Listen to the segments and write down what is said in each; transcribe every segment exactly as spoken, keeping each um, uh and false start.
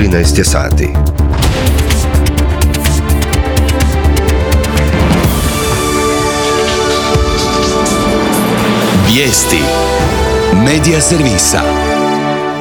trinaest je sati. Vijesti Medija servisa.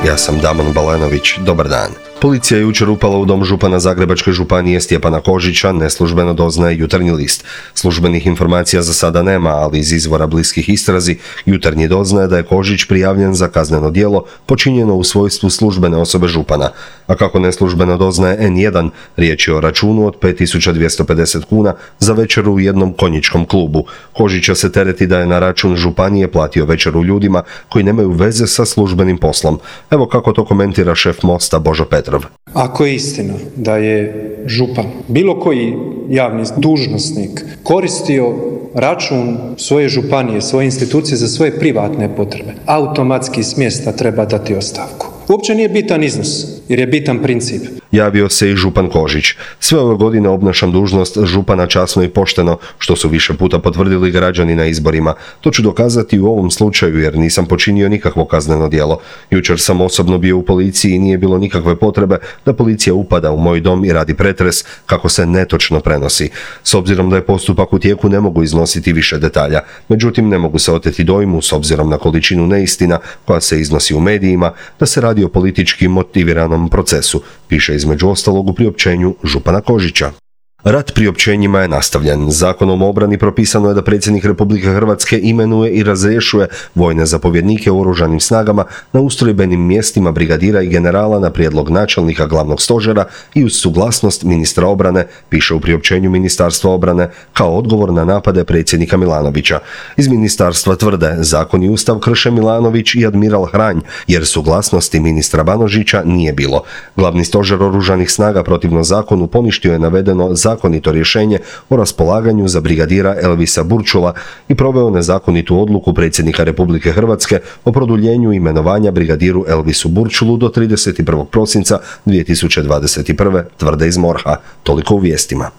Ja sam Damon Balenović, dobar dan. Policija je jučer upala u dom župana Zagrebačke županije Stjepana Kožića, neslužbeno doznaje Jutarnji list. Službenih informacija za sada nema, ali iz izvora bliskih istrazi Jutarnji doznaje da je Kožić prijavljen za kazneno djelo počinjeno u svojstvu službene osobe župana. A kako neslužbeno doznaje en jedan, riječ je o računu od pet tisuća dvjesto pedeset kuna za večeru u jednom konjičkom klubu. Kožića se tereti da je na račun županije platio večeru ljudima koji nemaju veze sa službenim poslom. Evo kako to komentira šef Mosta Božo Petrov. Ako je istina da je župan, bilo koji javni dužnosnik, koristio račun svoje županije, svoje institucije za svoje privatne potrebe, automatski s mjesta treba dati ostavku. Uopće nije bitan iznos, jer je bitan princip. Javio se i župan Kožić. Sve ove godine obnašam dužnost župana časno i pošteno, što su više puta potvrdili građani na izborima. To ću dokazati u ovom slučaju jer nisam počinio nikakvo kazneno djelo. Jučer sam osobno bio u policiji i nije bilo nikakve potrebe da policija upada u moj dom i radi pretres, kako se netočno prenosi. S obzirom da je postupak u tijeku ne mogu iznositi više detalja. Međutim, ne mogu se oteti dojmu, s obzirom na količinu neistina koja se iznosi u medijima, da se radi o politički motiviranom procesu, piše između ostalog u priopćenju župana Kožića. Rat priopćenjima je nastavljen. Zakonom o obrani propisano je da predsjednik Republike Hrvatske imenuje i razrješuje vojne zapovjednike u oružanim snagama na ustrojbenim mjestima brigadira i generala na prijedlog načelnika glavnog stožera i uz suglasnost ministra obrane, piše u priopćenju Ministarstva obrane, kao odgovor na napade predsjednika Milanovića. Iz ministarstva tvrde, zakon i ustav krše Milanović i admiral Hranj, jer suglasnosti ministra Banožića nije bilo. Glavni stožer oružanih snaga protivno zakonu poništio je navedeno zakonito rješenje o raspolaganju za brigadira Elvisa Burčula i proveo nezakonitu odluku predsjednika Republike Hrvatske o produljenju imenovanja brigadiru Elvisu Burčulu do trideset prvog prosinca dvije tisuće dvadeset prve. tvrde iz morha. Toliko u vijestima.